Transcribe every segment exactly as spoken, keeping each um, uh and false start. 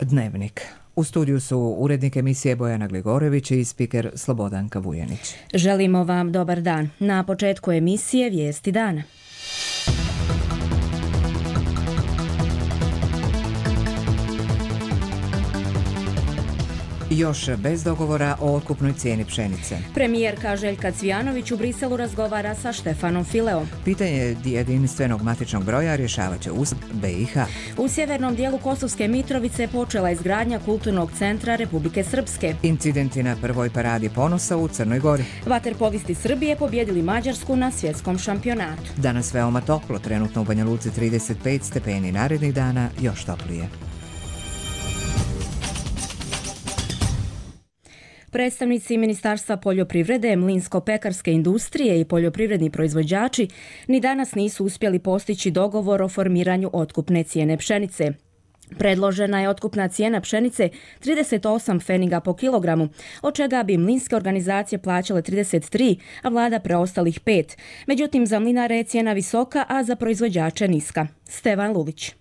Dnevnik. U studiju su urednik emisije Bojana Gligorević i spiker Slobodanka Vujanić. Želimo vam dobar dan. Na početku emisije vijesti dana. Još bez dogovora o otkupnoj cijeni pšenice. Premijerka Željka Cvijanović u Briselu razgovara sa Štefanom Fileom. Pitanje jedinstvenog matičnog broja rješavat će Ustav B i H. U sjevernom dijelu Kosovske Mitrovice počela izgradnja kulturnog centra Republike Srpske. Incidenti na prvoj paradi ponosa u Crnoj Gori. Vaterpolisti Srbije pobjedili Mađarsku na svjetskom šampionatu. Danas veoma toplo, trenutno u Banja Luci trideset pet stepeni, narednih dana još toplije. Predstavnici Ministarstva poljoprivrede, mlinsko-pekarske industrije i poljoprivredni proizvođači ni danas nisu uspjeli postići dogovor o formiranju otkupne cijene pšenice. Predložena je otkupna cijena pšenice trideset osam pfeniga po kilogramu, od čega bi mlinske organizacije plaćale trideset tri, a vlada preostalih pet. Međutim, za mlinare je cijena visoka, a za proizvođače niska. Stevan Lulić.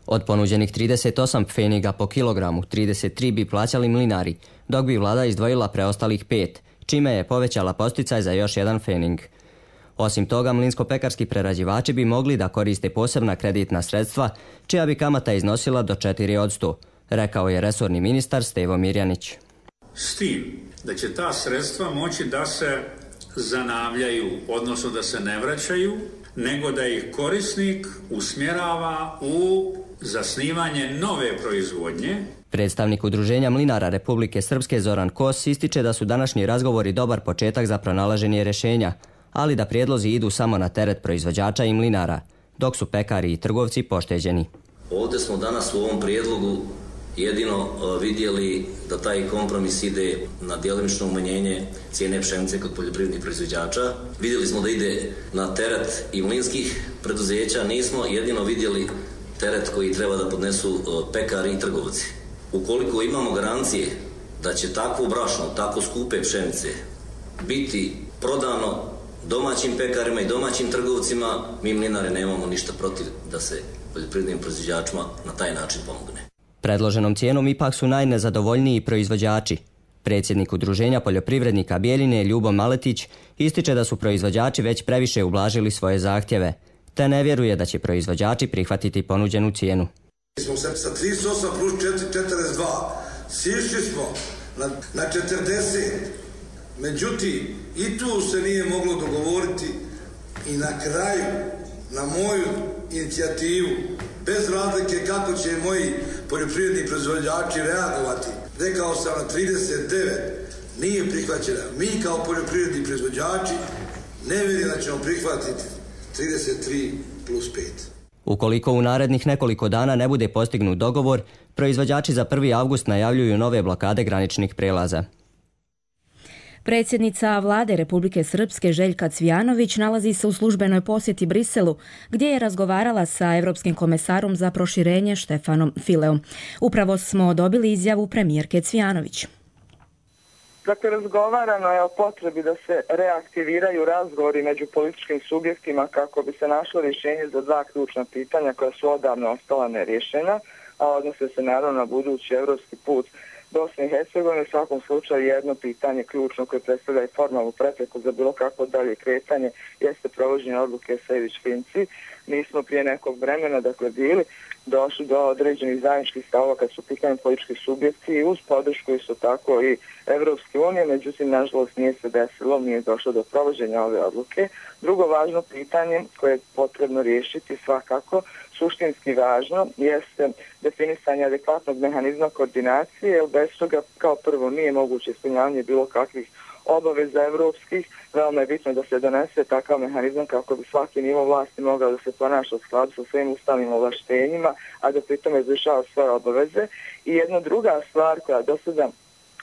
Od ponuđenih trideset osam pfeniga po kilogramu, trideset tri bi plaćali mlinari, dok bi vlada izdvojila preostalih pet, čime je povećala posticaj za još jedan pfening. Osim toga, mlinsko-pekarski prerađivači bi mogli da koriste posebna kreditna sredstva, čija bi kamata iznosila do četiri posto, rekao je resorni ministar Stevo Mirjanić. S tim da će ta sredstva moći da se zanavljaju, odnosno da se ne vraćaju, nego da ih korisnik usmjerava u zasnivanje nove proizvodnje. Predstavnik Udruženja mlinara Republike Srpske Zoran Kos ističe da su današnji razgovori dobar početak za pronalaženje rješenja, ali da prijedlozi idu samo na teret proizvođača i mlinara, dok su pekari i trgovci pošteđeni. Ovdje smo danas u ovom prijedlogu jedino vidjeli da taj kompromis ide na djelomično umanjenje cijene pšenice kod poljoprivrednih proizvođača. Vidjeli smo da ide na teret i mlinskih preduzeća, nismo jedino vidjeli teret koji treba da podnesu pekari i trgovci. Ukoliko imamo garancije da će takvo brašno, tako skupe pšenice biti prodano domaćim pekarima i domaćim trgovcima, mi mlinari nemamo ništa protiv da se poljoprivrednim proizvođačima na taj način pomogne. Predloženom cijenom ipak su najnezadovoljniji proizvođači. Predsjednik Udruženja poljoprivrednika Bijeljine Ljubo Maletić ističe da su proizvođači već previše ublažili svoje zahtjeve, te ne vjeruje da će proizvođači prihvatiti ponuđenu cijenu. Mi smo se sa trideset osam plus četrdeset dva sišli smo na, na četrdeset, međutim i tu se nije moglo dogovoriti i na kraju na moju inicijativu, bez razlike kako će moji poljoprivredni proizvođači reagovati, rekao sam na trideset devet, nije prihvaćena. Mi kao poljoprivredni proizvođači ne vjerujem da ćemo prihvatiti trideset tri plus pet. Ukoliko u narednih nekoliko dana ne bude postignut dogovor, proizvođači za prvi avgust najavljuju nove blokade graničnih prelaza. Predsjednica vlade Republike Srpske Željka Cvijanović nalazi se u službenoj posjeti Briselu, gdje je razgovarala sa Europskim komesarom za proširenje Štefanom Fileom. Upravo smo dobili izjavu premijerke Cvijanović. Dakle, razgovarano je o potrebi da se reaktiviraju razgovori među političkim subjektima kako bi se našlo rješenje za dva ključna pitanja koja su odavno ostala nerješena, a odnose se naravno na budući europski put Bosne i Hercegovine. U svakom slučaju jedno pitanje ključno koje predstavlja i formalnu prepreku za bilo kakvo dalje kretanje jeste provođenje odluke Sejdić-Finci. Mi smo prije nekog vremena, dakle, bili došli do određenih zajedničkih stavova kad su pitanje politički subjekti i uz podršku isto tako i Evropske unije, međutim, nažalost, nije se desilo, nije došlo do provođenja ove odluke. Drugo važno pitanje koje je potrebno riješiti svakako, suštinski važno, jeste definisanje adekvatnog mehanizma koordinacije, jer bez toga kao prvo nije moguće ispunjavanje bilo kakvih obaveza evropskih. Veoma je bitno da se donese takav mehanizam kako bi svaki nivo vlasti mogao da se ponaša u skladu sa svojim ustavnim ovlaštenjima, a da pritom izvršava svoje obaveze. I jedna druga stvar koja do sada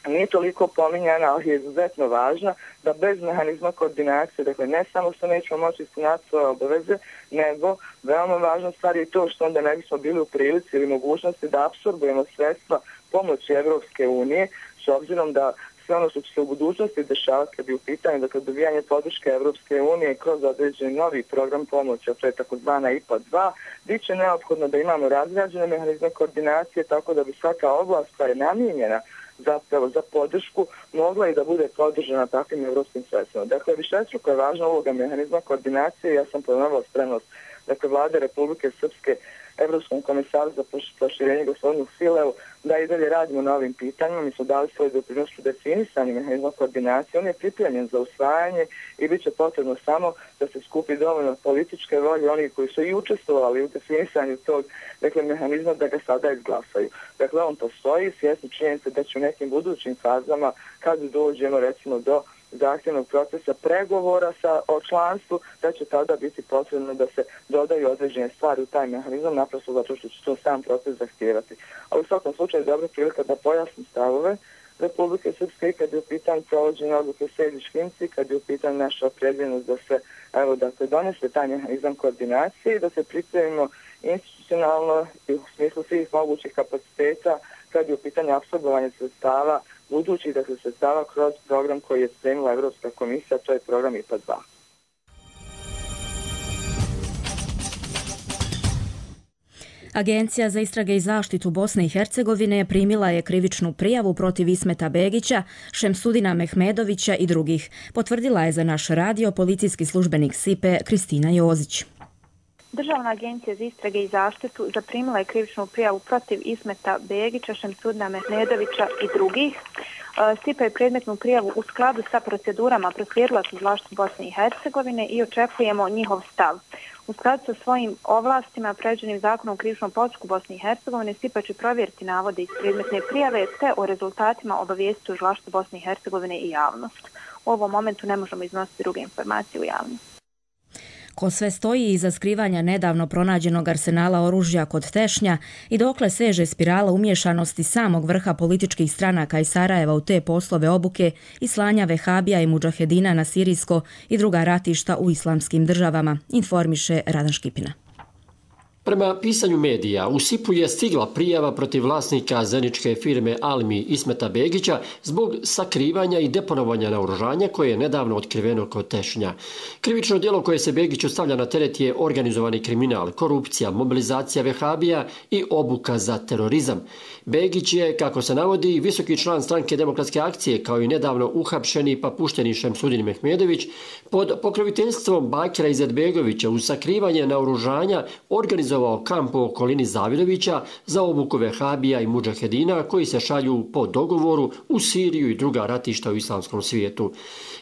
nije toliko pominjana, ali je izuzetno važna, da bez mehanizma koordinacije, dakle ne samo što nećemo moći ispunjati svoje obaveze, nego veoma važna stvar je to što onda ne bismo bili u prilici ili mogućnosti da apsorbujemo sredstva pomoći Evropske unije, s obzirom da sve ono što će se u budućnosti dešavati kad je u pitanju dakle, dobijanje podrške Evropske unije kroz određeni novi program pomoći, a to je takozvana I P A dva, bit će neophodno da imamo razrađene mehanizme koordinacije tako da bi svaka oblast koja je namijenjena zapravo za podršku mogla i da bude podržana takvim evropskim sredstvima. Dakle, višestruko je važna uloga mehanizma koordinacije. Ja sam ponovila spremnost dakle, Vlade Republike Srpske Evropskom komisaru za proširenje gospodinu Fileu da i dalje radimo na ovim pitanjima. Mi smo dali svoj doprinos u definisanju mehanizma koordinacije. On je pripremljen za usvajanje i bit će potrebno samo da se skupi dovoljno političke volje onih koji su i učestvovali u definisanju tog dakle, mehanizma da ga sada izglasaju. Dakle, on postoji, svjesni činjenice da će u nekim budućim fazama, kad dođemo recimo do zahtjevnog procesa pregovora sa, o članstvu, da će tada biti potrebno da se dodaju određene stvari u taj mehanizam, naprosto zato što će to sam proces zahtijevati. Ali u svakom slučaju je dobra prilika da pojasnim stavove Republike Srpske kad je u pitanju provođenja odluke Sejdić-Finci, kad je u pitanju naša opredeljenost da se evo, dakle, donese taj mehanizam koordinacije i da se pripremimo institucionalno i u smislu svih mogućih kapaciteta kad je u pitanju apsorbovanja sredstava budući da se sredstava kroz program koji je spremila Evropska komisija, to je program I P A dva. Agencija za istrage i zaštitu Bosne i Hercegovine primila je krivičnu prijavu protiv Ismeta Begića, Šemsudina Mehmedovića i drugih. Potvrdila je za naš radio policijski službenik S I P E Kristina Jozić. Državna agencija za istrage i zaštitu zaprimila je krivičnu prijavu protiv Ismeta Begića, Šemsudina Mehmedovića i drugih. S I P E je predmetnu prijavu u skladu sa procedurama proslijedila Tužilaštvu Bosne i Hercegovine i očekujemo njihov stav. U skladu sa svojim ovlastima predviđenim zakonom o krivičnom postupku Bosne i Hercegovine, S I P E će provjeriti navode iz predmetne prijave te o rezultatima obavijestiti Tužilaštvo Bosne i Hercegovine i javnost. U ovom momentu ne možemo iznositi druge informacije u javnost. Ko sve stoji iza skrivanja nedavno pronađenog arsenala oružja kod Tešnja i dokle seže spirala umješanosti samog vrha političkih stranaka iz Sarajeva u te poslove obuke i slanja vehabija i mudžahedina na sirijsko i druga ratišta u islamskim državama, informiše Radan Škipina. Prema pisanju medija, u S I P U je stigla prijava protiv vlasnika zeničke firme Almi Ismeta Begića zbog sakrivanja i deponovanja naoružanja koje je nedavno otkriveno kod Tešnja. Krivično djelo koje se Begiću stavlja na teret je organizovani kriminal, korupcija, mobilizacija vehabija i obuka za terorizam. Begić je, kako se navodi, visoki član stranke Demokratske akcije kao i nedavno uhapšeni pa pušteni Šemsudin Mehmedović pod pokroviteljstvom Bakira Izetbegovića uz sakrivanje naoružanja organizovao kamp u okolini Zavidovića za obuku vehabija i mudžahedina koji se šalju po dogovoru u Siriju i druga ratišta u islamskom svijetu.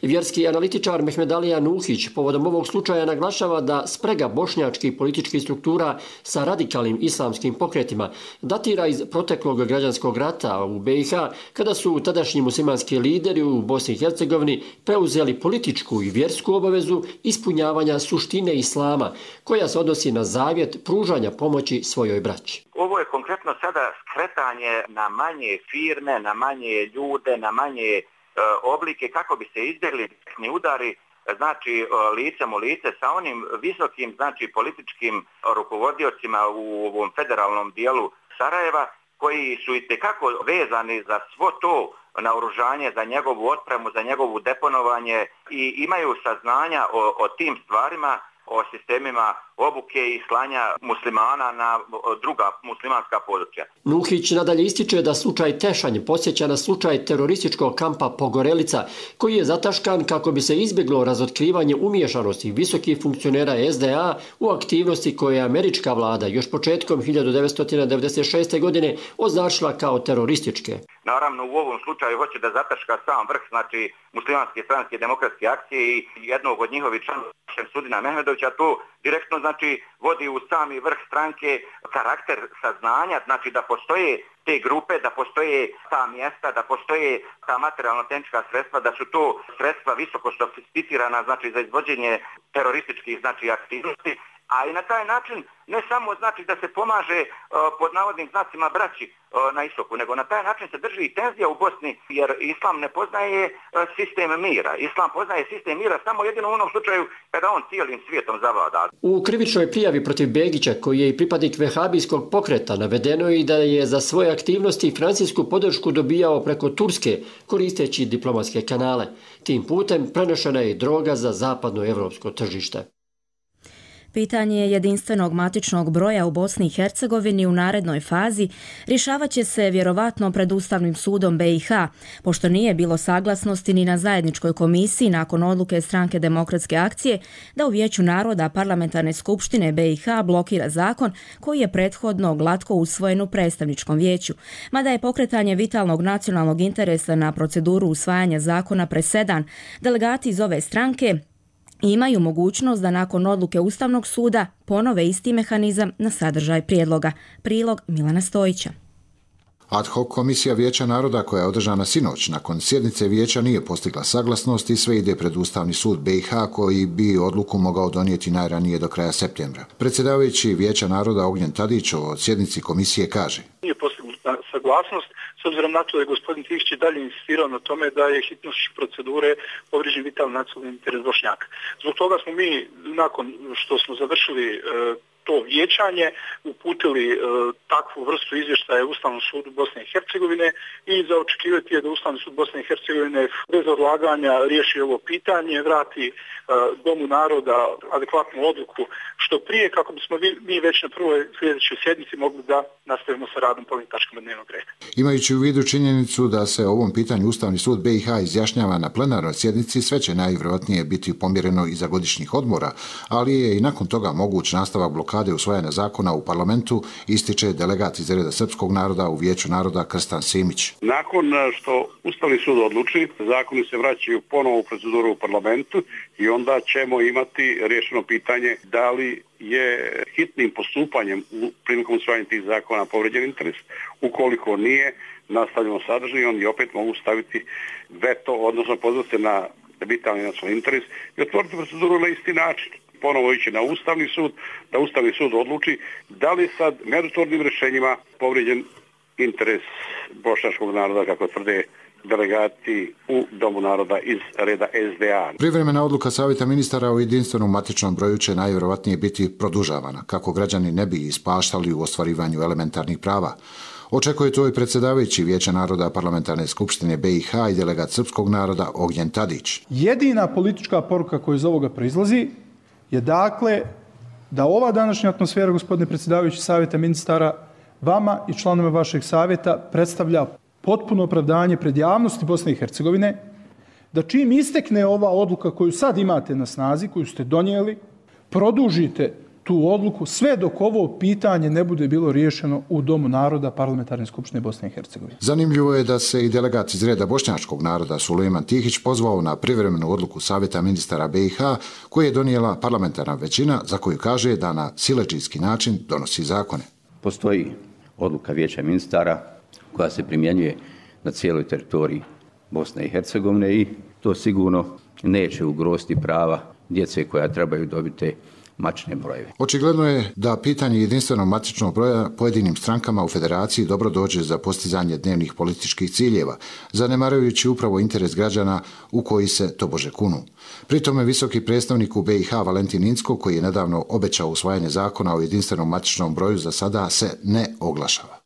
Vjerski analitičar Mehmedalija Nuhić povodom ovog slučaja naglašava da sprega bošnjačkih političkih struktura sa radikalnim islamskim pokretima datira iz proteklog građanskog rata u B i H kada su tadašnji muslimanski lideri u Bosni i Hercegovini preuzeli političku i vjersku obavezu ispunjavanja suštine islama koja se odnosi na zavjet pružanja pomoći svojoj braći. Ovo je konkretno sada skretanje na manje firme, na manje ljude, na manje e, oblike kako bi se izbjegli udari, znači licem u lice sa onim visokim, znači političkim rukovodiocima u ovom federalnom dijelu Sarajeva koji su itekako vezani za svo to naoružanje, za njegovu otpremu, za njegovu deponovanje i imaju saznanja o, o tim stvarima, o sistemima obuke i slanja muslimana na druga muslimanska područja. Nuhić nadalje ističe da slučaj Tešanj podsjeća na slučaj terorističkog kampa Pogorelica, koji je zataškan kako bi se izbjeglo razotkrivanje umiješanosti visokih funkcionera S D A u aktivnosti koje je američka vlada još početkom hiljadu devetsto devedeset šeste. godine označila kao terorističke. Naravno, u ovom slučaju hoće da zataška sam vrh, znači muslimanske stranke Demokratske akcije i jednog od njihovih članova Šemsudina Mehmedovića, to direktno znači vodi u sami vrh stranke karakter saznanja, znači da postoje te grupe, da postoje ta mjesta, da postoje ta materijalno-tehnička sredstva, da su to sredstva visoko sofisticirana, znači za izvođenje terorističkih znači aktivnosti, a i na taj način ne samo znači da se pomaže uh, pod navodnim znacima braći uh, na istoku, nego na taj način se drži i tenzija u Bosni, jer islam ne poznaje uh, sistem mira. Islam poznaje sistem mira samo jedino u onom slučaju kada on cijelim svijetom zavlada. U krivičnoj prijavi protiv Begića, koji je i pripadnik vehabijskog pokreta, navedeno je i da je za svoje aktivnosti financijsku podršku dobijao preko Turske, koristeći diplomatske kanale. Tim putem prenošena je i droga za zapadno evropsko tržište. Pitanje jedinstvenog matičnog broja u Bosni i Hercegovini u narednoj fazi rješavat će se vjerovatno pred Ustavnim sudom B i H, pošto nije bilo saglasnosti ni na zajedničkoj komisiji nakon odluke Stranke demokratske akcije da u Vijeću naroda Parlamentarne skupštine B i H blokira zakon koji je prethodno glatko usvojen u predstavničkom vijeću. Mada je pokretanje vitalnog nacionalnog interesa na proceduru usvajanja zakona presedan, delegati iz ove stranke imaju mogućnost da nakon odluke Ustavnog suda ponove isti mehanizam na sadržaj prijedloga. Prilog Milana Stojića. Ad hoc komisija Vijeća naroda koja je održana sinoć nakon sjednice vijeća nije postigla saglasnost i sve ide pred Ustavni sud B i H koji bi odluku mogao donijeti najranije do kraja septembra. Predsjedavajući Vijeća naroda Ognjen Tadić o sjednici komisije kaže: Nije postignuta saglasnost, s obzirom na to da je gospodin Tihić dalje insistirao na tome da je hitnošću procedure povrijeđen vitalni nacionalni interes Bošnjaka. Zbog toga smo mi, nakon što smo završili e, to vijećanje, uputili e, takvu vrstu izvještaja Ustavnom sudu Bosne i Hercegovine i za očekivati je da Ustavni sud Bosne i Hercegovine bez odlaganja riješi ovo pitanje, vrati e, Domu naroda adekvatnu odluku što prije, kako bismo mi već na prvoj sljedećoj sjednici mogli da nastavimo sa radom po ovim tačkama dnevnog reda. Imajući u vidu činjenicu da se o ovom pitanju Ustavni sud B i H izjašnjava na plenarnoj sjednici, sve će najvjerojatnije biti pomjereno iza godišnjih odmora, ali je i nakon toga moguć nastavak blokade usvajanja zakona u parlamentu, ističe delegat iz reda srpskog naroda u Vijeću naroda Krstan Simić. Nakon što Ustavni sud odluči, zakoni se vraćaju ponovo u proceduru u parlamentu i onda ćemo imati rješeno pitanje da li je hitnim postupanjem prilikom usvajanja tih zakona povrijeđen interes. Ukoliko nije, nastavljamo sadržaj i oni opet mogu staviti veto, odnosno pozvati se na vitalni nacionalni interes i otvoriti proceduru na isti način. Ponovo ići na Ustavni sud, da Ustavni sud odluči da li sad meritornim rješenjima povrijeđen interes bošnjačkog naroda, kako tvrde delegati u Domu naroda iz reda S D A. Privremena odluka Savjeta ministara o jedinstvenom matičnom broju će najvjerojatnije biti produžavana, kako građani ne bi ispaštali u ostvarivanju elementarnih prava. Očekuje to i predsjedavajući Vijeća naroda Parlamentarne skupštine B i H i delegat srpskog naroda Ognjen Tadić. Jedina politička poruka koja iz ovoga proizlazi je dakle da ova današnja atmosfera, gospodine predsjedavajući Savjeta ministara, vama i članove vašeg savjeta predstavlja potpuno opravdanje pred javnosti Bosne i Hercegovine, da čim istekne ova odluka koju sad imate na snazi, koju ste donijeli, produžite tu odluku sve dok ovo pitanje ne bude bilo riješeno u Domu naroda Parlamentarne skupštine Bosne i Hercegovine. Zanimljivo je da se i delegat iz reda bošnjačkog naroda Sulejman Tihić pozvao na privremenu odluku Savjeta ministara B i H koju je donijela parlamentarna većina za koju kaže da na siledžijski način donosi zakone. Postoji odluka Vijeća ministara koja se primjenjuje na cijeloj teritoriji Bosne i Hercegovine i to sigurno neće ugroziti prava djece koja trebaju dobiti matične brojeve. Očigledno je da pitanje jedinstvenog matičnog broja pojedinim strankama u federaciji dobro dođe za postizanje dnevnih političkih ciljeva, zanemarujući upravo interes građana u koji se tobože kunu. Pri tome visoki predstavnik u B i H Valentin Incko, koji je nedavno obećao usvajanje zakona o jedinstvenom matičnom broju, za sada se ne oglašava.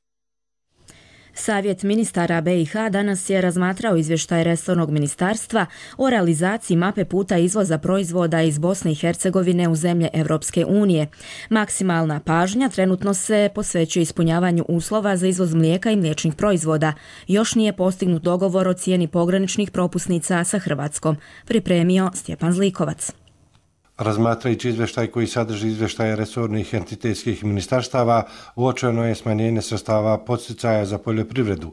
Savjet ministara B i H danas je razmatrao izvještaj resornog ministarstva o realizaciji mape puta izvoza proizvoda iz Bosne i Hercegovine u zemlje Evropske unije. Maksimalna pažnja trenutno se posvećuje ispunjavanju uslova za izvoz mlijeka i mliječnih proizvoda. Još nije postignut dogovor o cijeni pograničnih propusnica sa Hrvatskom, pripremio Stjepan Zlikovac. Razmatrajući izvještaj koji sadrži izvještaje resornih entitetskih ministarstava, uočeno je smanjenje sredstava podsticaja za poljoprivredu.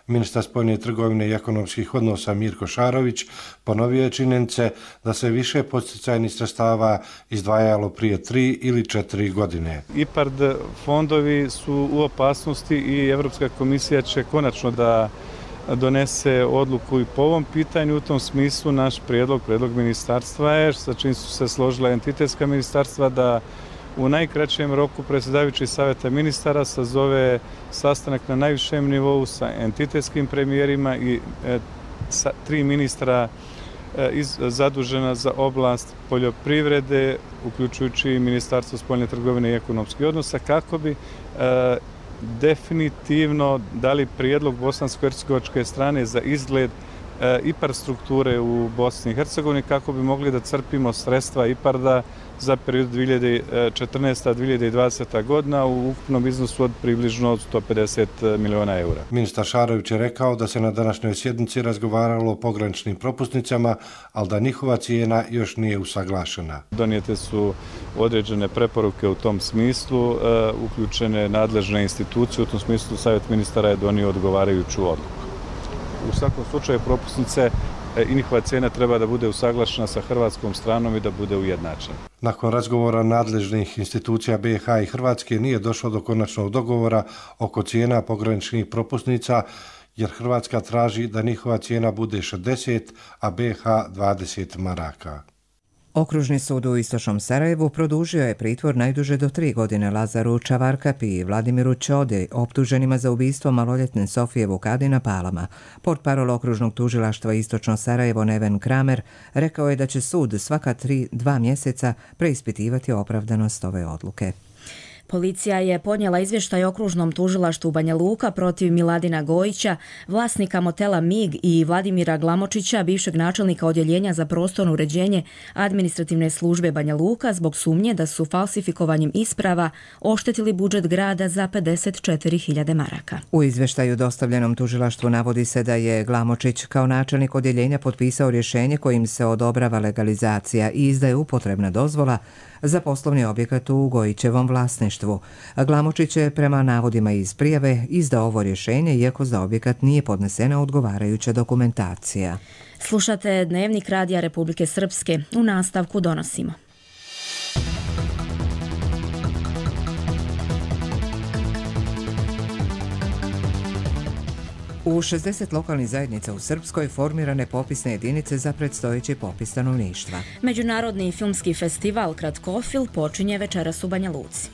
Ministar spoljne trgovine i ekonomskih odnosa Mirko Šarović ponovio je činjenice da se više podsticajnih sredstava izdvajalo prije tri ili četiri godine. IPARD fondovi su u opasnosti i Evropska komisija će konačno da donese odluku i po ovom pitanju. U tom smislu naš prijedlog, prijedlog ministarstva je, sa čim su se složila entitetska ministarstva, da u najkraćem roku predsjedavajući Saveta ministara sazove sastanak na najvišem nivou sa entitetskim premijerima i e, sa tri ministra e, iz, zadužena za oblast poljoprivrede, uključujući Ministarstvo spoljne trgovine i ekonomskih odnosa, kako bi e, definitivno dali prijedlog bosansko-hercegovačke strane za izgled e, IPARD strukture u Bosni i Hercegovini, kako bi mogli da crpimo sredstva IPARD-a za period dvije hiljade četrnaesta do dvije hiljade dvadeseta godina u ukupnom iznosu od približno sto pedeset miliona eura. Ministar Šarović je rekao da se na današnjoj sjednici razgovaralo o pograničnim propusnicama, ali da njihova cijena još nije usaglašena. Donijete su određene preporuke u tom smislu, e, uključene nadležne institucije, u tom smislu Savjet ministara je donio odgovarajuću odluku. U svakom slučaju propusnice i njihova cijena treba da bude usaglašena sa hrvatskom stranom i da bude ujednačena. Nakon razgovora nadležnih institucija B i H i Hrvatske nije došlo do konačnog dogovora oko cijena pograničnih propusnica, jer Hrvatska traži da njihova cijena bude šezdeset, a B i H dvadeset maraka. Okružni sud u Istočnom Sarajevu produžio je pritvor najduže do tri godine Lazaru Čavarkapi i Vladimiru Čodi, optuženima za ubistvo maloljetne Sofije Vukadina Palama. Portparol okružnog tužilaštva Istočno Sarajevo Neven Kramer rekao je da će sud svaka tri, dva mjeseca preispitivati opravdanost ove odluke. Policija je podnijela izvještaj okružnom tužilaštvu Banja Luka protiv Miladina Gojića, vlasnika motela Mig i Vladimira Glamočića, bivšeg načelnika odjeljenja za prostorno uređenje administrativne službe Banja Luka, zbog sumnje da su falsifikovanjem isprava oštetili budžet grada za pedeset četiri hiljade maraka. U izvještaju dostavljenom tužilaštvu navodi se da je Glamočić kao načelnik odjeljenja potpisao rješenje kojim se odobrava legalizacija i izdaje upotrebna dozvola za poslovni objekat u Gojićevom vlasništvu. Glamočić je prema navodima iz prijave izdao ovo rješenje, iako za objekat nije podnesena odgovarajuća dokumentacija. Slušate Dnevnik Radija Republike Srpske. U nastavku donosimo. U šezdeset lokalnih zajednica u Srpskoj formirane popisne jedinice za predstojeći popis stanovništva. Međunarodni filmski festival Kratkofil počinje večeras u Banja Luci.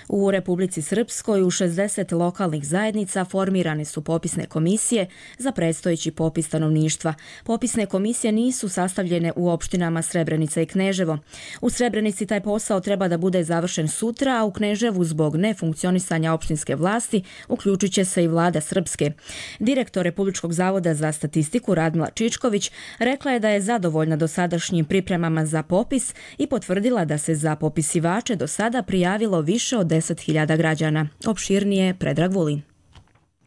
U Republici Srpskoj u šezdeset lokalnih zajednica formirane su popisne komisije za predstojeći popis stanovništva. Popisne komisije nisu sastavljene u opštinama Srebrenica i Kneževo. U Srebrenici taj posao treba da bude završen sutra, a u Kneževu zbog nefunkcionisanja opštinske vlasti uključit će se i vlada Srpske. Direktor Republičkog zavoda za statistiku Radmila Čičković rekla je da je zadovoljna dosadašnjim pripremama za popis i potvrdila da se za popisivače do sada prijavilo više od deset hiljada građana. Opširnije Predrag Vulin.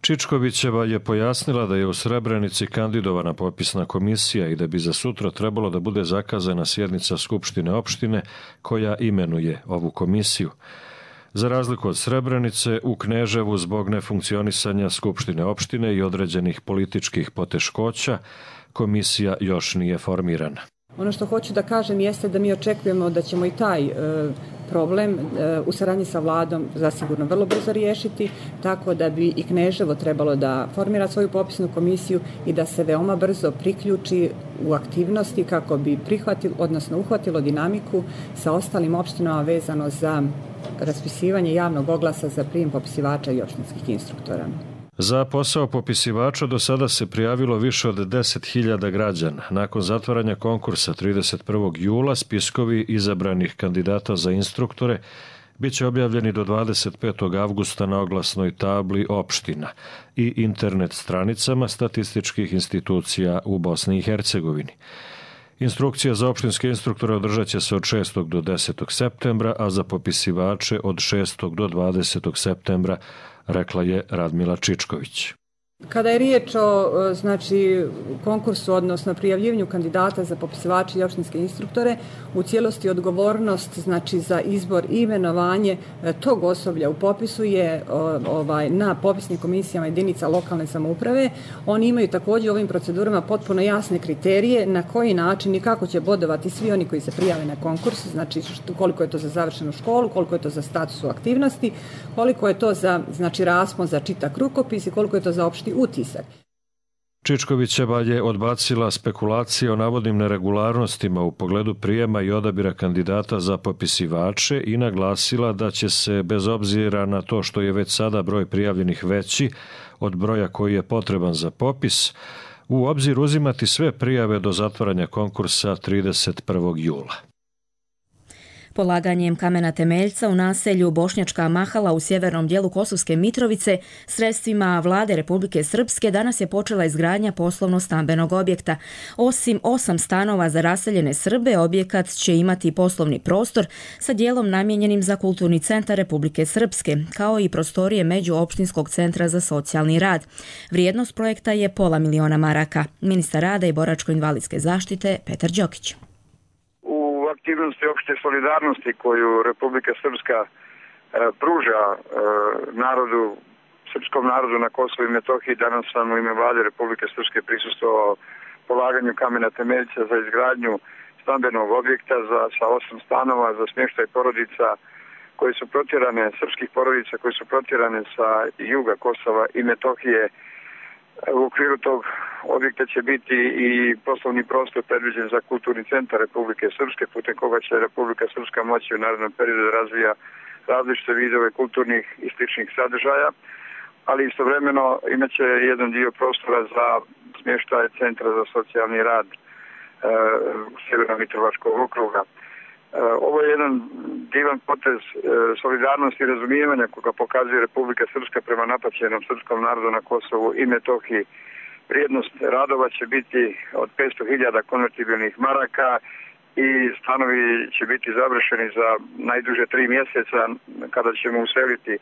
Čičkovićeva je pojasnila da je u Srebrenici kandidovana popisna komisija i da bi za sutra trebalo da bude zakazana sjednica Skupštine opštine koja imenuje ovu komisiju. Za razliku od Srebrenice, u Kneževu zbog nefunkcionisanja Skupštine opštine i određenih političkih poteškoća, komisija još nije formirana. Ono što hoću da kažem jeste da mi očekujemo da ćemo i taj e, problem e, u saradnji sa vladom zasigurno vrlo brzo riješiti, tako da bi i Kneževo trebalo da formira svoju popisnu komisiju i da se veoma brzo priključi u aktivnosti kako bi prihvatilo, odnosno uhvatilo dinamiku sa ostalim opštinama vezano za raspisivanje javnog oglasa za prijem popisivača i opštinskih instruktora. Za posao popisivača do sada se prijavilo više od deset hiljada građana. Nakon zatvaranja konkursa trideset prvog jula spiskovi izabranih kandidata za instruktore bit će objavljeni do dvadeset petog avgusta na oglasnoj tabli opština i internet stranicama statističkih institucija u Bosni i Hercegovini. Instrukcija za opštinske instruktore održat će se od šestog do desetog septembra, a za popisivače od šestog do dvadesetog septembra, rekla je Radmila Čičković. Kada je riječ o znači, konkursu, odnosno prijavljivanju kandidata za popisivače i opštinske instruktore, u cijelosti odgovornost znači, za izbor i imenovanje tog osoblja u popisu je ovaj, na popisnim komisijama jedinica lokalne samouprave. Oni imaju također u ovim procedurama potpuno jasne kriterije na koji način i kako će bodovati svi oni koji se prijave na konkurs, znači koliko je to za završenu školu, koliko je to za status u aktivnosti, koliko je to za znači, raspon za čitak rukopis i koliko je to za opšti utisak. Čičkovićeva je odbacila spekulacije o navodnim neregularnostima u pogledu prijema i odabira kandidata za popisivače i naglasila da će se, bez obzira na to što je već sada broj prijavljenih veći od broja koji je potreban za popis, u obzir uzimati sve prijave do zatvaranja konkursa trideset prvog jula. Polaganjem kamena temeljca u naselju Bošnjačka Mahala u sjevernom dijelu Kosovske Mitrovice sredstvima vlade Republike Srpske danas je počela izgradnja poslovno-stambenog objekta. Osim osam stanova za raseljene Srbe, objekat će imati poslovni prostor sa dijelom namijenjenim za kulturni centar Republike Srpske, kao i prostorije Međuopštinskog centra za socijalni rad. Vrijednost projekta je pola miliona maraka. Ministar rada i boračko-invalidske zaštite Petar Đokić. Aktivnosti opšte solidarnosti koju Republika Srpska e, pruža e, narodu, srpskom narodu na Kosovu i Metohiji. Danas sam u ime vlade Republike Srpske prisustvovao polaganju kamena temeljca za izgradnju stambenog objekta za, sa osam stanova za smještaj porodica koje su protjerane, srpskih porodica koje su protjerane sa juga Kosova i Metohije. U okviru tog objekta će biti i poslovni prostor predviđen za kulturni centar Republike Srpske, putem koga će Republika Srpska moći u narednom periodu da razvija različite vidove kulturnih i sličnih sadržaja, ali istovremeno imaće jedan dio prostora za smještaj Centra za socijalni rad e, Sjeverno-Mitrovačkog okruga. Ovo je jedan divan potez solidarnosti i razumijevanja koga pokazuje Republika Srpska prema napaćenom srpskom narodu na Kosovu i Metohiji. Vrijednost radova će biti od petsto hiljada konvertibilnih maraka i stanovi će biti završeni za najduže tri mjeseca kada ćemo useliti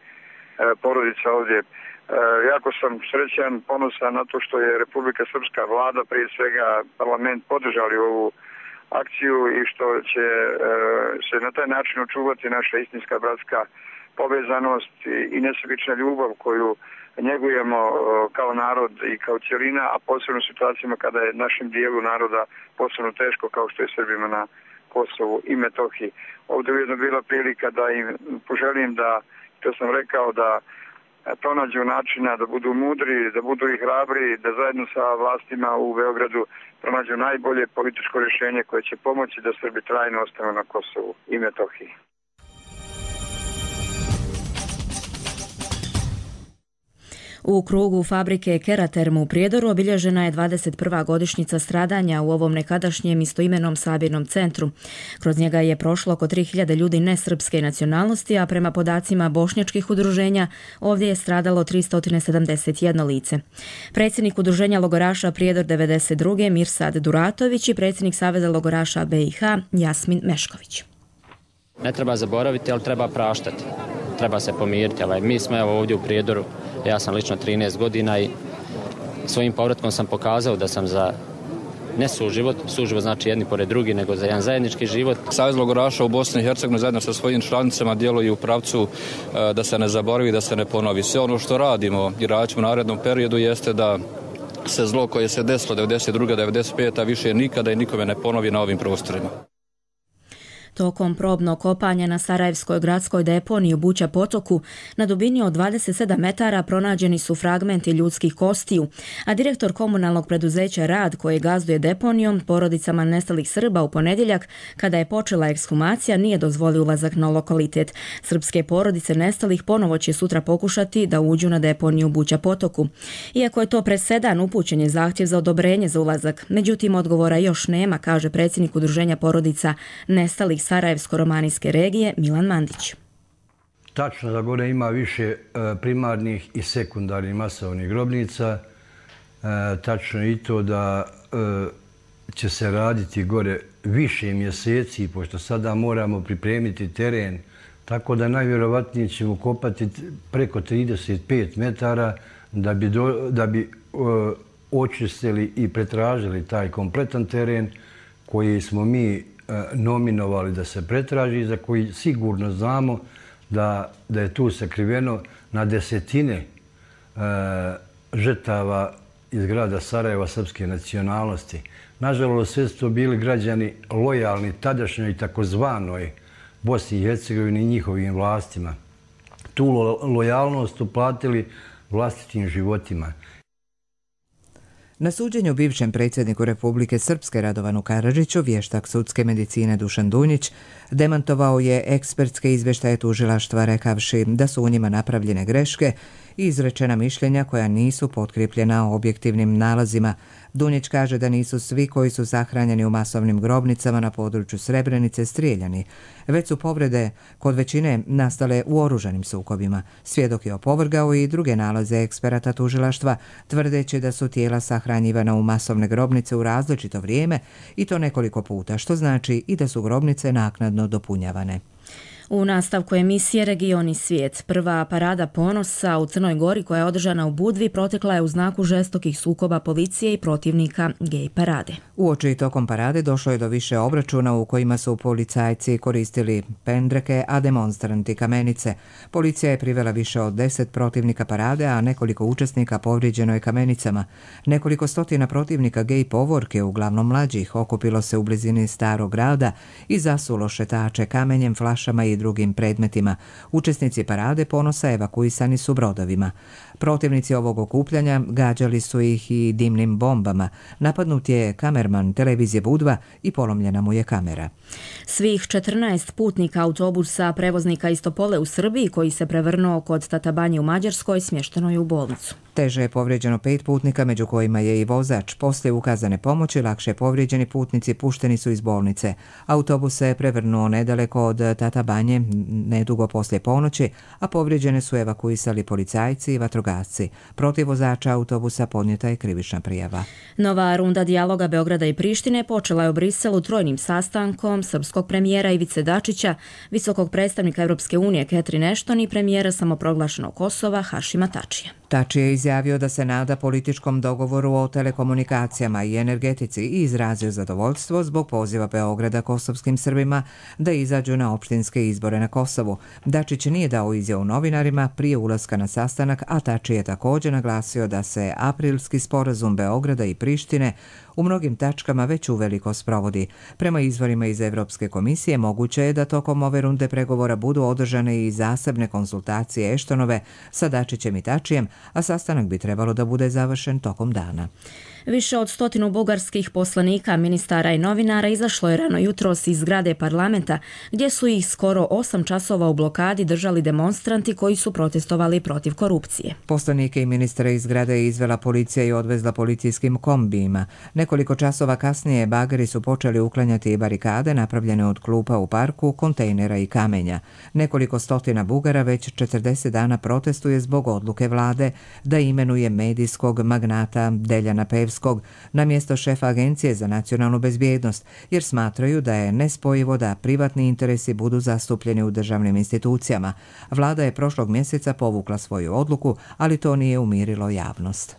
porodica ovdje. Jako sam srećan, ponosan na to što je Republika Srpska vlada, prije svega parlament, podržali ovu akciju i što će e, se na taj način očuvati naša istinska bratska povezanost i, i nesebična ljubav koju njegujemo e, kao narod i kao cjelina, a posebno u situacijama kada je našem dijelu naroda posebno teško kao što je Srbima na Kosovu i Metohiji. Ovdje je ujedno bila prilika da im poželim da, to sam rekao, da pronađu načina da budu mudri, da budu i hrabri, da zajedno sa vlastima u Beogradu pronađu najbolje političko rješenje koje će pomoći da Srbi trajno ostanu na Kosovu i Metohiji. U krugu fabrike Keraterm u Prijedoru obilježena je dvadeset prva godišnjica stradanja u ovom nekadašnjem istoimenom sabirnom centru. Kroz njega je prošlo oko tri hiljade ljudi nesrpske nacionalnosti, a prema podacima bošnjačkih udruženja ovdje je stradalo tristo sedamdeset jedno lice. Predsjednik udruženja logoraša Prijedor devedeset druge Mirsad Duratović i predsjednik Saveza logoraša B i H Jasmin Mešković. Ne treba zaboraviti, ali treba praštati. Treba se pomiriti. Mi smo evo ovdje u Prijedoru. Ja sam lično trinaest godina i svojim povratkom sam pokazao da sam za ne suživot, suživot znači jedni pored drugi, nego za jedan zajednički život. Savez logoraša u Bosni i Hercegovini zajedno sa svojim članicama djeluju u pravcu da se ne zaboravi, da se ne ponovi. Sve ono što radimo i radit ćemo u narednom periodu jeste da se zlo koje se desilo devedeset druge devedeset pete više nikada i nikome ne ponovi na ovim prostorima. Tokom probnog kopanja na Sarajevskoj gradskoj deponiji u Buća potoku na dubini od dvadeset sedam metara pronađeni su fragmenti ljudskih kostiju, a direktor komunalnog preduzeća Rad, koje gazduje deponijom porodicama nestalih Srba u ponedjeljak, kada je počela ekshumacija, nije dozvolio ulazak na lokalitet. Srpske porodice nestalih ponovo će sutra pokušati da uđu na deponiju u Buća potoku. Iako je to presedan, upućen je zahtjev za odobrenje za ulazak. Međutim, odgovora još nema, kaže predsjednik udruženja porodica nestalih Sarajevsko-romanijske regije Milan Mandić. Tačno da gore ima više primarnih i sekundarnih masovnih grobnica. Tačno i to da će se raditi gore više mjeseci, pošto sada moramo pripremiti teren, tako da najvjerovatnije ćemo kopati preko trideset pet metara da bi, do, da bi očistili i pretražili taj kompletan teren koji smo mi nominovali da se pretraži, za koji sigurno znamo da, da je tu sakriveno na desetine e, žrtava iz grada Sarajeva srpske nacionalnosti. Nažalost, sve su to bili građani lojalni tadašnjoj takozvanoj Bosni i Hercegovini i njihovim vlastima. Tu lo, lojalnost uplatili vlastitim životima. Na suđenju bivšem predsjedniku Republike Srpske Radovanu Karadžiću vještak sudske medicine Dušan Dunjić demantovao je ekspertske izvještaje tužilaštva rekavši da su u njima napravljene greške i izrečena mišljenja koja nisu potkripljena objektivnim nalazima. Dunjić kaže da nisu svi koji su sahranjeni u masovnim grobnicama na području Srebrenice strijeljani, već su povrede kod većine nastale u oružanim sukobima. Svjedok je opovrgao i druge nalaze eksperata tužilaštva, tvrdeći da su tijela sahranjivana u masovne grobnice u različito vrijeme i to nekoliko puta, što znači i da su grobnice naknadno dopunjavane. U nastavku emisije Region i svijet, prva parada ponosa u Crnoj Gori koja je održana u Budvi protekla je u znaku žestokih sukoba policije i protivnika gej parade. Uoči tokom parade došlo je do više obračuna u kojima su policajci koristili pendreke, a demonstranti kamenice. Policija je privela više od deset protivnika parade, a nekoliko učesnika povrijeđeno je kamenicama. Nekoliko stotina protivnika gej povorke, uglavnom mlađih, okupilo se u blizini Starog grada i zasulo šetače kamenjem, flašama i drugim predmetima. Učesnici parade ponosa evakuisani su brodovima. Protivnici ovog okupljanja gađali su ih i dimnim bombama. Napadnut je kamerman televizije Budva i polomljena mu je kamera. Svih četrnaest putnika autobusa prevoznika iz Topole u Srbiji koji se prevrnuo kod Tatabanje u Mađarskoj smješteno je u bolnicu. Teže je povrijeđeno pet putnika, među kojima je i vozač. Poslije ukazane pomoći, lakše povrijeđeni putnici pušteni su iz bolnice. Autobus se prevrnuo nedaleko od Tatabanje, nedugo poslije ponoći, a povrijeđene su evakuisali policajci i vatrogasci. Protiv vozača autobusa podnijeta je krivična prijava. Nova runda dijaloga Beograda i Prištine počela je u Briselu trojnim sastankom srpskog premijera Ivice Dačića, visokog predstavnika Europske unije Catherine Ashton i premijera samoproglašenog Kosova Hašima Tačija. Tači je izjavio da se nada političkom dogovoru o telekomunikacijama i energetici i izrazio zadovoljstvo zbog poziva Beograda kosovskim Srbima da izađu na opštinske izbore na Kosovu. Dačić nije dao izjavu novinarima prije ulaska na sastanak, a Tači je također naglasio da se aprilski sporazum Beograda i Prištine u mnogim tačkama već uveliko sprovodi. Prema izvorima iz Evropske komisije moguće je da tokom ove runde pregovora budu održane i zasebne konsultacije Eštonove sa Dačićem i Tačijem, a sastanak bi trebalo da bude završen tokom dana. Više od stotinu bugarskih poslanika, ministara i novinara izašlo je rano jutros iz zgrade parlamenta, gdje su ih skoro osam časova u blokadi držali demonstranti koji su protestovali protiv korupcije. Poslanike i ministre iz zgrade je izvela policija i odvezla policijskim kombijima. Nekoliko časova kasnije bageri su počeli uklanjati barikade napravljene od klupa u parku, kontejnera i kamenja. Nekoliko stotina Bugara već četrdeset dana protestuje zbog odluke vlade da imenuje medijskog magnata Deljana Pevskog na mjesto šefa Agencije za nacionalnu bezbjednost, jer smatraju da je nespojivo da privatni interesi budu zastupljeni u državnim institucijama. Vlada je prošlog mjeseca povukla svoju odluku, ali to nije umirilo javnost.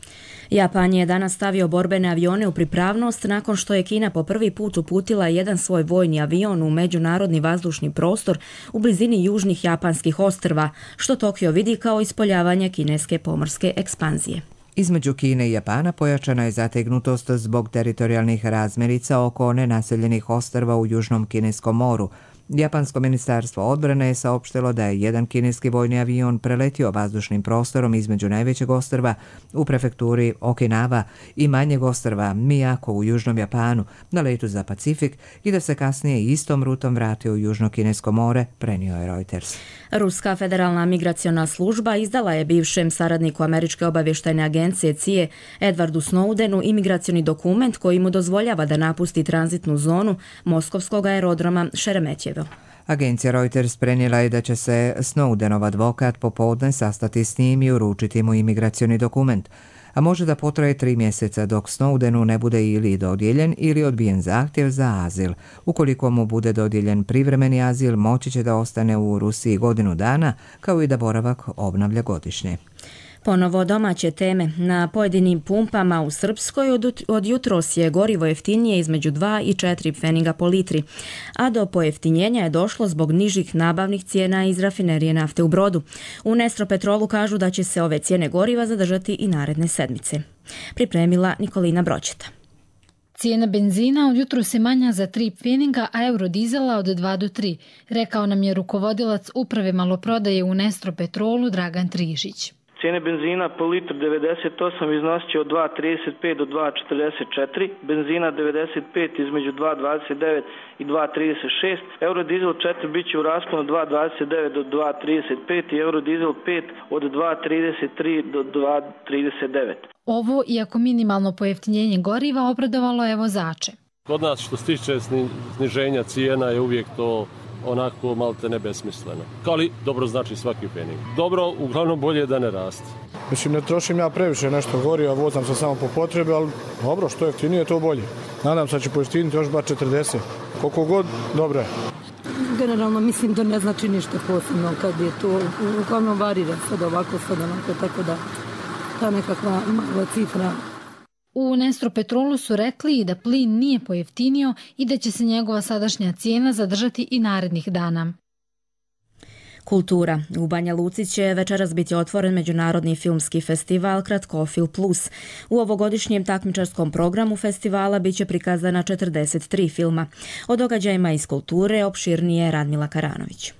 Japan je danas stavio borbene avione u pripravnost nakon što je Kina po prvi put uputila jedan svoj vojni avion u međunarodni vazdušni prostor u blizini južnih japanskih ostrva, što Tokio vidi kao ispoljavanje kineske pomorske ekspanzije. Između Kine i Japana pojačana je zategnutost zbog teritorijalnih razmirica oko nenaseljenih ostrva u Južnom Kineskom moru. Japansko ministarstvo odbrane je saopštilo da je jedan kineski vojni avion preletio vazdušnim prostorom između najvećeg ostrva u prefekturi Okinawa i manjeg ostrva Miyako u Južnom Japanu na letu za Pacifik i da se kasnije istom rutom vratio u Južno Kinesko more, prenio je Reuters. Ruska federalna migraciona služba izdala je bivšem saradniku Američke obavještajne agencije C I A Edwardu Snowdenu imigracioni dokument koji mu dozvoljava da napusti tranzitnu zonu moskovskog aerodroma Šeremetjevo. Agencija Reuters prenijela je da će se Snowdenov advokat popodne sastati s njim i uručiti mu imigracioni dokument, a može da potraje tri mjeseca dok Snowdenu ne bude ili dodijeljen ili odbijen zahtjev za azil. Ukoliko mu bude dodijeljen privremeni azil, moći će da ostane u Rusiji godinu dana, kao i da boravak obnavlja godišnje. Ponovo domaće teme. Na pojedinim pumpama u Srpskoj od, od jutros je gorivo jeftinije između dva i četiri pfeniga po litri, a do pojeftinjenja je došlo zbog nižih nabavnih cijena iz rafinerije nafte u Brodu. U Nestropetrolu kažu da će se ove cijene goriva zadržati i naredne sedmice. Pripremila Nikolina Bročeta. Cijena benzina od jutro se manja za tri pfeniga, a eurodizela od dva do tri, rekao nam je rukovodilac uprave maloprodaje u Nestropetrolu Dragan Trižić. Cijene benzina po litru devedeset osam iznosit će od dva trideset pet do dva četrdeset četiri, benzina devedeset pet između dva dvadeset devet i dva trideset šest, eurodizel četiri bit će u rasponu od dva dvadeset devet do dva trideset pet i eurodizel pet od dva trideset tri do dva trideset devet. Ovo, iako minimalno pojeftinjenje goriva, obradovalo je vozače. Kod nas što se tiče sniženja cijena je uvijek to onako malte ne besmisleno. Ali dobro znači svaki pening. Dobro, uglavnom bolje da ne raste. Mislim, ne trošim ja previše nešto goriva, vozam se samo po potrebi, ali dobro, što jeftinije to bolje. Nadam se da će pojeftiniti još bar četrdeset. Koliko god, dobro je. Generalno mislim da ne znači ništa posebno kad je to, uglavnom varira sad ovako, sad onako, tako da ta nekakva mala cifra. U Nestropetrolu su rekli da plin nije pojeftinio i da će se njegova sadašnja cijena zadržati i narednih dana. Kultura. U Banja Luci će večeras biti otvoren međunarodni filmski festival Kratkofil plus. U ovogodišnjem takmičarskom programu festivala biće prikazana četrdeset tri filma. O događajima iz kulture opširnije Radmila Karanović.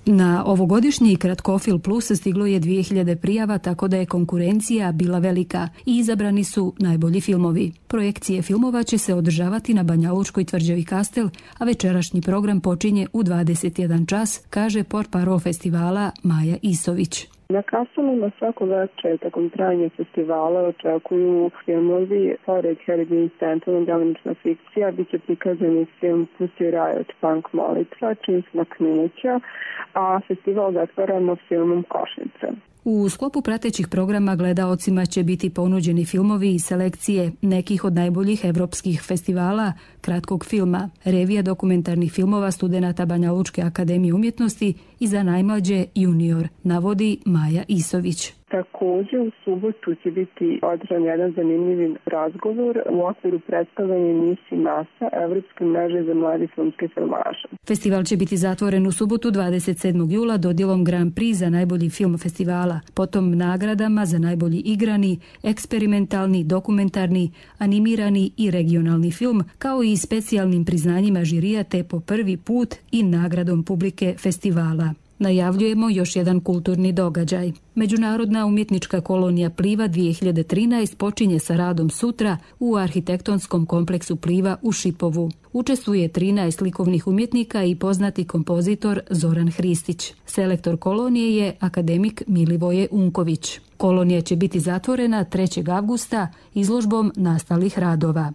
Na ovogodišnji Kratkofil plus stiglo je dvije hiljade prijava, tako da je konkurencija bila velika i izabrani su najbolji filmovi. Projekcije filmova će se održavati na Banjalučkoj tvrđavi Kastel, a večerašnji program počinje u dvadeset jedan čas, kaže portparol festivala Maja Isović. Na Kastelima svako večer tokom trajanja festivala očekuju filmovi pored Harry Dean Stanton, delimična fikcija, bit će prikazani film Pussy Riot Punk Molitva, čim smo knuća, a festival zatvaramo filmom Košnica. U sklopu pratećih programa gledaocima će biti ponuđeni filmovi i selekcije nekih od najboljih evropskih festivala kratkog filma, revija dokumentarnih filmova studenata Banjalučke akademije umjetnosti i za najmlađe junior, navodi Maja Isović. Također u subotu će biti održan jedan zanimljiv razgovor u okviru predstavljanja emisiji NASA Evropske mreže za mladi filmske filmaše. Festival će biti zatvoren u subotu dvadeset sedmog jula dodjelom Grand Prix za najbolji film festivala, potom nagradama za najbolji igrani, eksperimentalni, dokumentarni, animirani i regionalni film, kao i specijalnim priznanjima žirija te po prvi put i nagradom publike festivala. Najavljujemo još jedan kulturni događaj. Međunarodna umjetnička kolonija Pliva dvije hiljade trinaest počinje sa radom sutra u arhitektonskom kompleksu Pliva u Šipovu. Učestvuje trinaest likovnih umjetnika i poznati kompozitor Zoran Hristić. Selektor kolonije je akademik Milivoje Unković. Kolonija će biti zatvorena trećeg avgusta izložbom nastalih radova.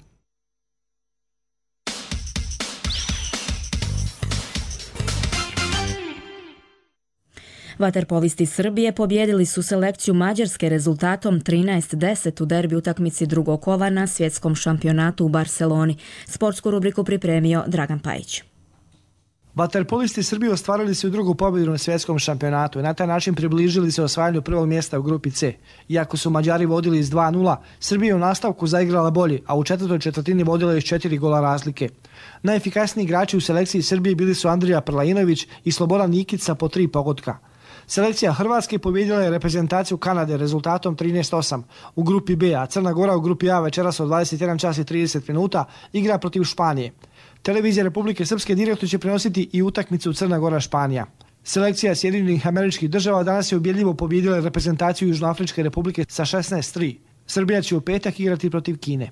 Vaterpolisti Srbije pobjedili su selekciju Mađarske rezultatom trinaest deset u derbi utakmici drugog kola na svjetskom šampionatu u Barceloni. Sportsku rubriku pripremio Dragan Pajić. Vaterpolisti Srbije ostvarili su drugu pobjedu na svjetskom šampionatu i na taj način približili se osvajanju prvog mjesta u grupi C. Iako su Mađari vodili s dva nula, Srbija je u nastavku zaigrala bolje, a u četvrtoj četvrtini vodila je s četiri gola razlike. Najefikasniji igrači u selekciji Srbije bili su Andrija Prlajinović i Slobodan Nikica po tri pogotka. Selekcija Hrvatske pobjedila je reprezentaciju Kanade rezultatom trinaest osam. U grupi B, a Crna Gora u grupi A večeras od dvadeset jedan čas i trideset minuta igra protiv Španije. Televizija Republike Srpske direktno će prenositi i utakmicu Crna Gora-Španija. Selekcija Sjedinjenih Američkih Država danas je ubjedljivo pobjedila reprezentaciju Južnoafričke Republike sa šesnaest tri. Srbija će u petak igrati protiv Kine.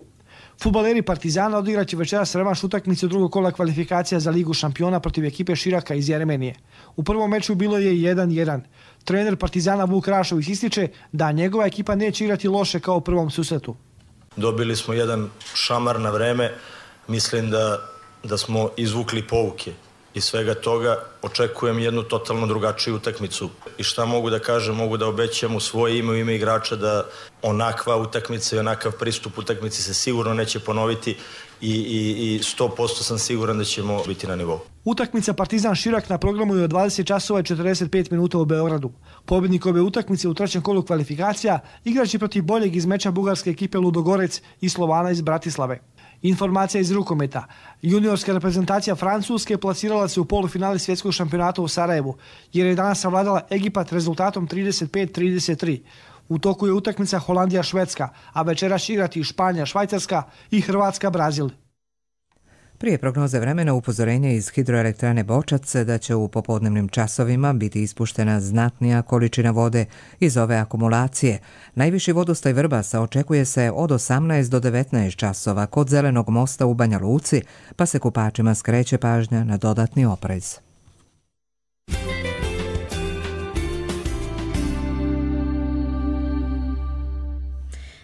Fudbaleri Partizana odigraće večeras revanš utakmicu drugog kola kvalifikacija za Ligu šampiona protiv ekipe Širaka iz Jeremenije. U prvom meču bilo je jedan jedan. Trener Partizana Vuk Rašović ističe da njegova ekipa neće igrati loše kao u prvom susretu. Dobili smo jedan šamar na vreme. Mislim da, da smo izvukli pouke. Iz svega toga očekujem jednu totalno drugačiju utakmicu. I šta mogu da kažem, mogu da obećam u svoje ime, u ime igrača da onakva utakmica i onakav pristup utakmici se sigurno neće ponoviti i, i, i sto posto sam siguran da ćemo biti na nivou. Utakmica Partizan Širak na programu je od dvadeset časova i četrdeset pet minuta u Beogradu. Pobjednik ove utakmice u trećem kolu kvalifikacija igraće protiv boljeg iz meča bugarske ekipe Ludogorec i Slovana iz Bratislave. Informacija iz rukometa. Juniorska reprezentacija Francuske plasirala se u polufinale svjetskog šampionata u Sarajevu, jer je danas savladala Egipat rezultatom trideset pet trideset tri. U toku je utakmica Holandija-Švedska, a večeras će igrati Španija-Švajcarska i Hrvatska-Brazil. Prije prognoze vremena upozorenje iz hidroelektrane Bočac da će u popodnevnim časovima biti ispuštena znatnija količina vode iz ove akumulacije. Najviši vodostaj Vrbasa očekuje se od osamnaest do devetnaest časova kod Zelenog mosta u Banja Luci, pa se kupačima skreće pažnja na dodatni oprez.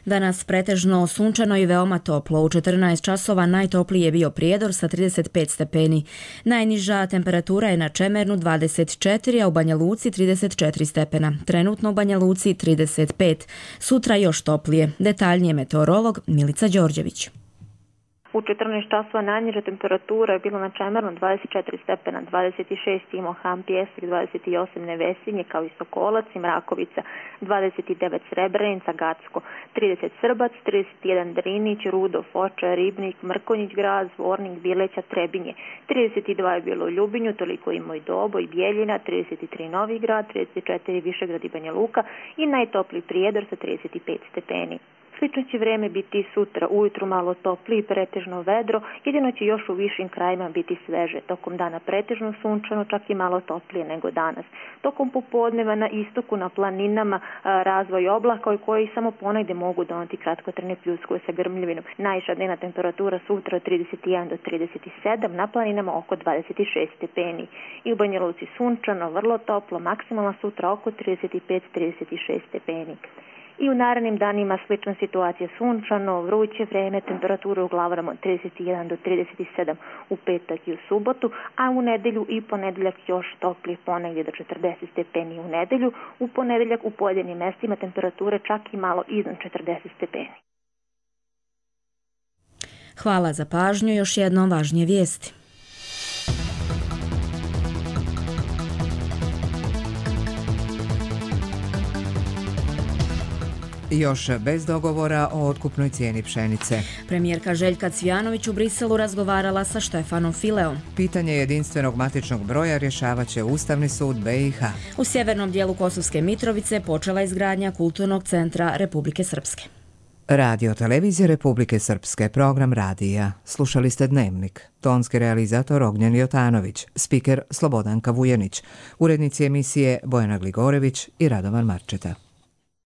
Danas pretežno sunčano i veoma toplo. U četrnaest časova najtopliji je bio Prijedor sa trideset pet stepeni. Najniža temperatura je na Čemernu dvadeset četiri, a u Banja Luci trideset četiri stepena. Trenutno u Banja Luci trideset pet. Sutra još toplije. Detaljnije meteorolog Milica Đorđević. U četrnaest časova najniža temperatura je bila na Čemernu dvadeset četiri stepena, dvadeset šest Imohan, Pjesnik, dvadeset osam Nevesinje, kao i Sokolac i Mrakovica, dvadeset devet Srebrenica, Gacko, trideset Srbac, trideset jedan Drinić, Rudo, Foča, Ribnik, Mrkonjić, Grad, Zvornik, Bileća, Trebinje, trideset dva je bilo u Ljubinju, toliko i Moj Dobo i Bijeljina, trideset tri Novi Grad, trideset četiri Višegrad i Banja Luka i najtopliji Prijedor sa trideset pet stepeni. Slično će vreme biti sutra, ujutru malo toplije i pretežno vedro, jedino će još u višim krajima biti sveže. Tokom dana pretežno sunčano, čak i malo toplije nego danas. Tokom popodneva na istoku, na planinama, razvoj oblaka koji samo ponegde mogu doneti kratkotrajne pljuskove sa grmljavinom. Najviša dnevna temperatura sutra od trideset jedan do trideset sedam, na planinama oko dvadeset šest stepeni. I u Banja Luci sunčano, vrlo toplo, maksimalna sutra oko trideset pet do trideset šest stepeni. I u narednim danima slična situacija, sunčano, vruće vreme, temperature u glavarama od trideset jedan do trideset sedam u petak i u subotu, a u nedelju i ponedeljak još toplije, ponegdje do četrdeset stepeni u nedelju. U ponedeljak u pojedinim mestima temperature čak i malo iznad četrdeset stepeni. Hvala za pažnju, još jednom važnije vijesti. Još bez dogovora o otkupnoj cijeni pšenice. Premijerka Željka Cvijanović u Briselu razgovarala sa Štefanom Fileom. Pitanje jedinstvenog matičnog broja rješavat će Ustavni sud B i H. U sjevernom dijelu Kosovske Mitrovice počela izgradnja Kulturnog centra Republike Srpske. Radio televizije Republike Srpske, program radija. Slušali ste Dnevnik. Tonski realizator Ognjen Jotanović, spiker Slobodanka Vujenić, urednici emisije Bojana Gligorević i Radovan Marčeta.